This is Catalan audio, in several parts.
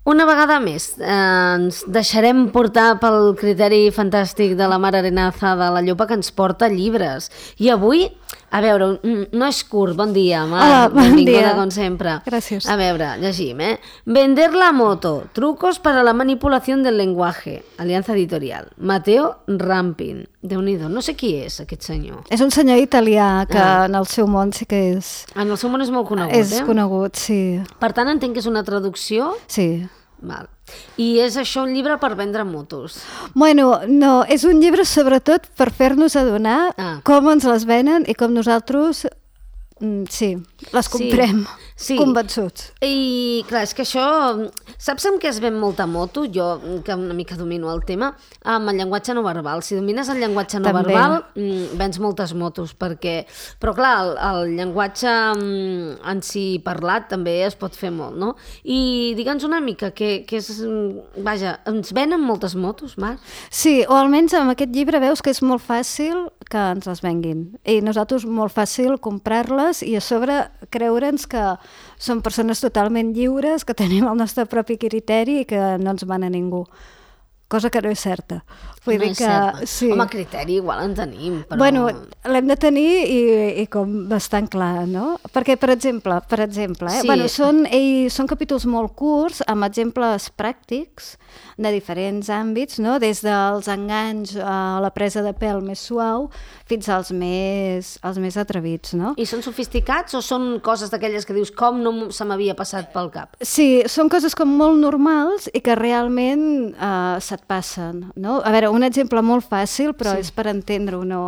Una vegada més, ens deixarem portar pel criteri fantàstic de la Mar Arenaza de la Llopa, que ens porta llibres. I avui, a veure, no és curt, bon dia, Mar. Hola, bon benvinguda, dia. com sempre. Gràcies. A veure, llegim, Vender la moto, trucos para la manipulación del lenguaje, Alianza Editorial. Mateo Rampin. Déu-n'hi-do, no sé qui és aquest senyor. És un senyor italià que en el seu món sí que és... En el seu món és molt conegut, És conegut, sí. Per tant, entenc que és una traducció... Sí. Val. I és això un llibre per vendre motos? Bueno, no, és un llibre sobretot per fer-nos adonar com ens les venen i com nosaltres, les comprem, convençuts. I clar, és que això, saps amb què es ven molta moto? Jo, que una mica domino el tema, amb el llenguatge no verbal. Si domines el llenguatge no verbal, vens moltes motos, perquè... Però clar, el llenguatge en si parlat també es pot fer molt, no? I digue'ns una mica, que és... Vaja, ens venen moltes motos, Mar? Sí, o almenys amb aquest llibre veus que és molt fàcil que ens les venguin. I nosaltres molt fàcil comprar-les i a sobre creure'ns que som persones totalment lliures, que tenim el nostre propi criteri i que no ens mana ningú. Cosa que no és certa. Vull dir que... Sí. Home, criteri igual en tenim, però... Bueno, l'hem de tenir i com bastant clar, no? Perquè, per exemple, bueno, són capítols molt curts, amb exemples pràctics de diferents àmbits, no? Des dels enganys a la presa de pèl més suau fins als més atrevits, no? I són sofisticats o són coses d'aquelles que dius com no se m'havia passat pel cap? Sí, són coses com molt normals i que realment se't passen, no? A veure, un exemple molt fàcil, però és per entendre-ho, no?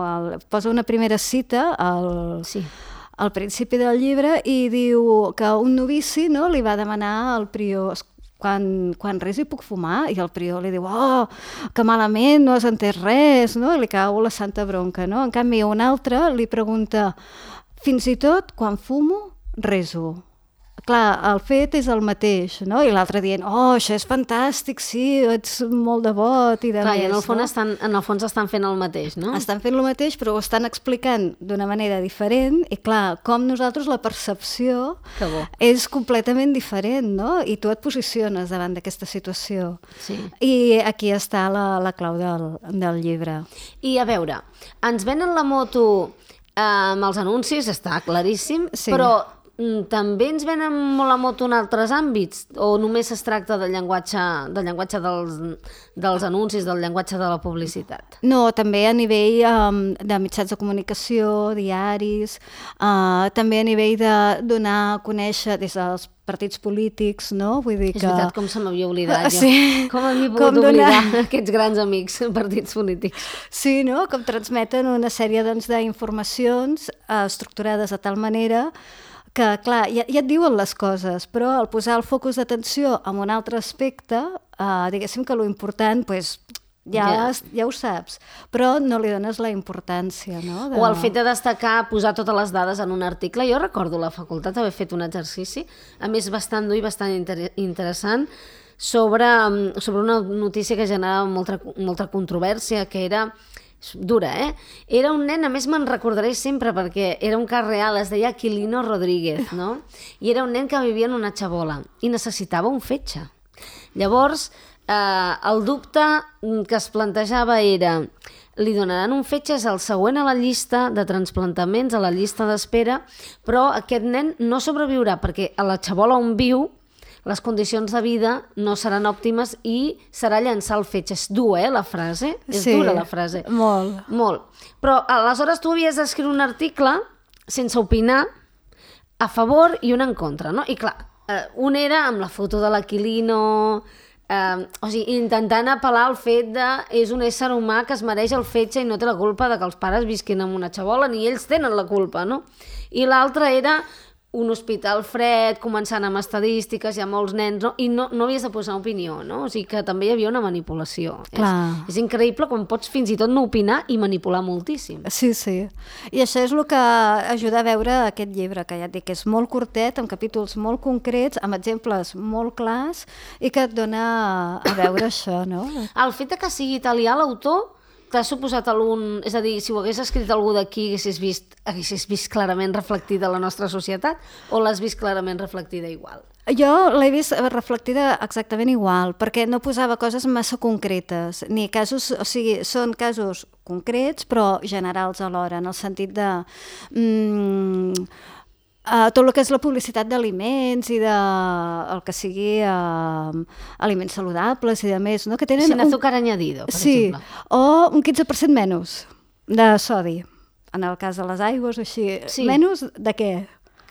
Posa una primera cita al principi del llibre i diu que un novici, no, li va demanar al prior quan rezo hi puc fumar? I el prior li diu, oh, que malament, no has entès res, no? I li cau la santa bronca, no? En canvi, un altre li pregunta, fins i tot quan fumo, rezo. Clar, el fet és el mateix, no? I l'altre dient, oh, això és fantàstic, sí, ets molt devot i de clar, més. I en el fons estan fent el mateix, no? Estan fent el mateix, però ho estan explicant d'una manera diferent i clar, com nosaltres la percepció és completament diferent, no? I tu et posiciones davant d'aquesta situació. Sí. I aquí està la clau del llibre. I a veure, ens venen la moto amb els anuncis, està claríssim, però també ens venen molt la moto en altres àmbits? O només es tracta del llenguatge dels anuncis, del llenguatge de la publicitat? No, també a nivell de mitjans de comunicació, diaris, també a nivell de donar a conèixer des dels partits polítics, no? Vull dir que... És veritat, com se m'havia oblidat jo. Sí. Com havia pogut oblidar aquests grans amics, partits polítics. Sí, no? Com transmeten una sèrie d'informacions estructurades de tal manera que, clar, ja et diuen les coses, però al posar el focus d'atenció en un altre aspecte, diguéssim que lo important, pues, ja ho saps, però no li dones la importància, no? O el fet de destacar, posar totes les dades en un article. Jo recordo a la facultat haver fet un exercici, a més bastant dur i bastant interessant, sobre una notícia que generava molta controvèrsia, que era dura, Era un nen, a més me'n recordaré sempre perquè era un cas real, es deia Aquilino Rodríguez, no? I era un nen que vivia en una xabola i necessitava un fetge. Llavors, el dubte que es plantejava era, li donaran un fetge, és el següent a la llista de transplantaments, a la llista d'espera, però aquest nen no sobreviurà perquè a la xabola on viu les condicions de vida no seran òptimes i serà llançar el fetge. És dur, la frase? És dura la frase. Molt. Molt. Però aleshores tu havies d'escriure un article sense opinar, a favor i un en contra, no? I clar, un era amb la foto de l'Aquilino, o sigui, intentant apel·lar al fet de és un ésser humà que es mereix el fetge i no té la culpa de que els pares visquin en una xabola, ni ells tenen la culpa, no? I l'altre era un hospital fred, començant amb estadístiques, hi ha molts nens, no? I no havies de posar opinió, no? O sigui que també hi havia una manipulació. És increïble com pots fins i tot no opinar i manipular moltíssim. Sí, sí. I això és el que ajuda a veure aquest llibre, que ja et dic que és molt curtet, amb capítols molt concrets, amb exemples molt clars i que et dona a veure això, no? El fet que sigui italià l'autor t'ha suposat algun... És a dir, si ho hagués escrit algú d'aquí, haguessis vist clarament reflectida la nostra societat o l'has vist clarament reflectida igual? Jo l'he vist reflectida exactament igual, perquè no posava coses massa concretes, ni casos, o sigui, són casos concrets però generals alhora, en el sentit de... tot el que és la publicitat d'aliments i de el que sigui aliments saludables i de més, no? Que tenen sin azúcar añadido, per exemple. O un 15% menys de sodi, en el cas de les aigües o així. Sí. Menys de què?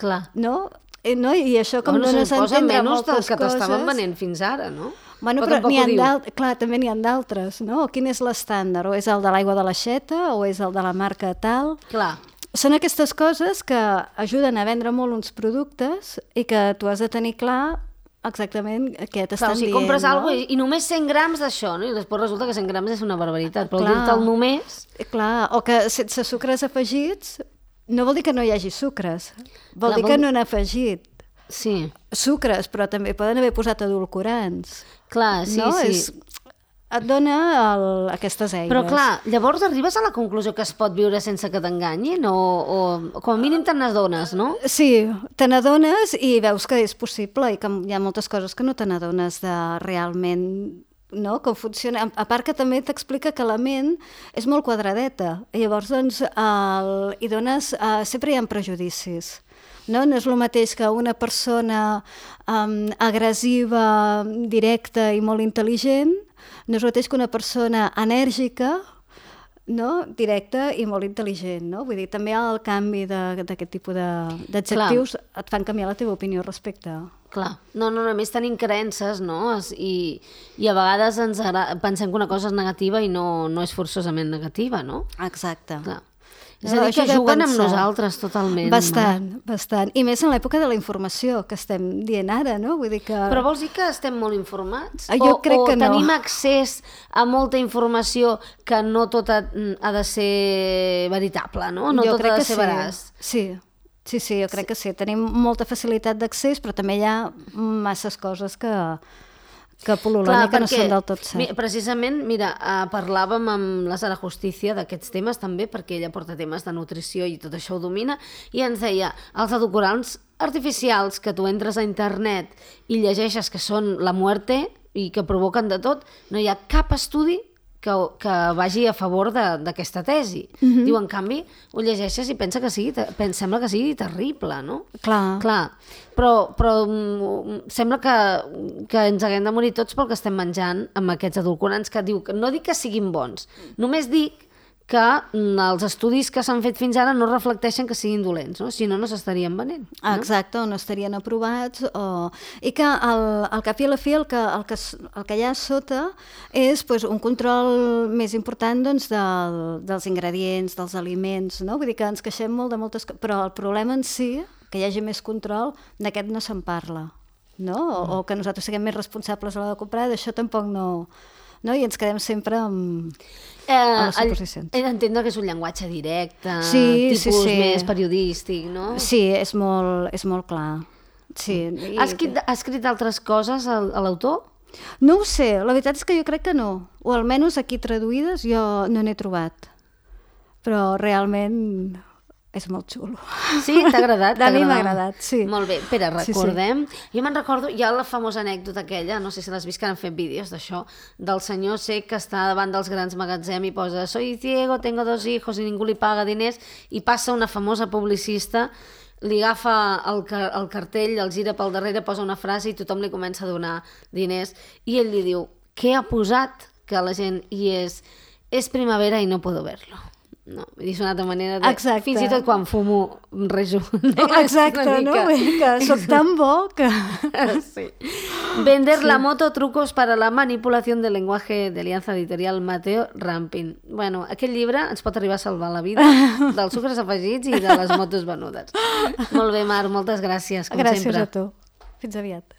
Clar. No? I això com dones a entendre moltes coses... que t'estaven venent fins ara, no? Bueno, però clar, també n'hi ha d'altres, no? Quin és l'estàndard? O és el de l'aigua de l'aixeta o és el de la marca tal? Clar. Són aquestes coses que ajuden a vendre molt uns productes i que tu has de tenir clar exactament què t'estan dient. Si compres alguna cosa i només 100 grams d'això, no? I després resulta que 100 grams és una barbaritat, però dir-te'l només... Clar, o que sense sucres afegits no vol dir que no hi hagi sucres, vol dir que no han afegit sucres, però també poden haver posat edulcorants. Clar, sí, no? sí. Et dona aquestes eines. Però clar, llavors arribes a la conclusió que es pot viure sense que t'enganyin o com a mínim te n'adones, no? Sí, te n'adones i veus que és possible i que hi ha moltes coses que no te n'adones de realment, no? Com funciona. A part que també t'explica que la ment és molt quadradeta i llavors doncs hi dones... sempre hi ha prejudicis. No és el mateix que una persona agressiva, directa i molt intel·ligent, no és el mateix que una persona enèrgica, no? Directa i molt intel·ligent. No? Vull dir, també el canvi d'aquest tipus d'adjectius et fan canviar la teva opinió respecte. Clar, no, a més tenim creences, no? I a vegades pensem que una cosa és negativa i no és forçosament negativa, no? Exacte. Clar. És a dir, que juguen amb nosaltres totalment. Bastant. I més en l'època de la informació, que estem dient ara, no? Vull dir que... Però vols dir que estem molt informats? Jo crec que no. O tenim accés a molta informació que no tota ha de ser veritable, no? No tota ha de ser veraç. Sí, jo crec que sí. Tenim molta facilitat d'accés, però també hi ha masses coses que pol·lulen i que no són del tot cert. Precisament, mira, parlàvem amb la Sara Justicia d'aquests temes també, perquè ella porta temes de nutrició i tot això ho domina, i ens deia, els edulcorants artificials que tu entres a internet i llegeixes que són la muerte i que provoquen de tot, no hi ha cap estudi que vagi a favor d'aquesta tesi. Diu, en canvi, ho llegeixes i sembla que sigui terrible, no? Clar. Però sembla que ens haguem de morir tots pel que estem menjant amb aquests edulcorants que diu que no dic que siguin bons, només dic que els estudis que s'han fet fins ara no reflecteixen que siguin dolents, no? Si no, no s'estarien venent. No? Exacte, o no estarien aprovats. I que al cap i a la fi el que hi ha sota és un control més important dels ingredients, dels aliments, no? Vull dir que ens queixem molt de moltes coses, però el problema en si, que hi hagi més control, d'aquest no se'n parla, no? O que nosaltres siguem més responsables a l'hora de comprar, d'això tampoc no... I ens quedem sempre amb les suposicions. He d'entendre que és un llenguatge directe, tipus més periodístic, no? Sí, és molt clar. Sí. Ha escrit altres coses a l'autor? No ho sé, la veritat és que jo crec que no, o almenys aquí traduïdes jo no n'he trobat, però realment... és molt xulo. Sí? T'ha agradat? A mi m'ha agradat, sí. Molt bé. Espera, recordem. Sí. Jo me'n recordo, hi ha la famosa anècdota aquella, no sé si l'has vist, que han fet vídeos d'això, del senyor cec que està davant dels grans magatzems i posa «Soy ciego, tengo 2 hijos» i ningú li paga diners, i passa una famosa publicista, li agafa el cartell, el gira pel darrere, posa una frase i tothom li comença a donar diners, i ell li diu «Què ha posat?» Que la gent hi és primavera i no puedo verlo. No, és una altra manera de... Exacte. Fins i tot quan fumo rejo. Exacte, no? Que soc tan bo que... Sí. Vender la moto, trucos para la manipulación del lenguaje de Alianza Editorial Mateo Rampin. Bueno, aquest llibre ens pot arribar a salvar la vida dels sucres afegits i de les motos venudes. Molt bé, Mar, moltes gràcies, com sempre. Gràcies a tu. Fins aviat.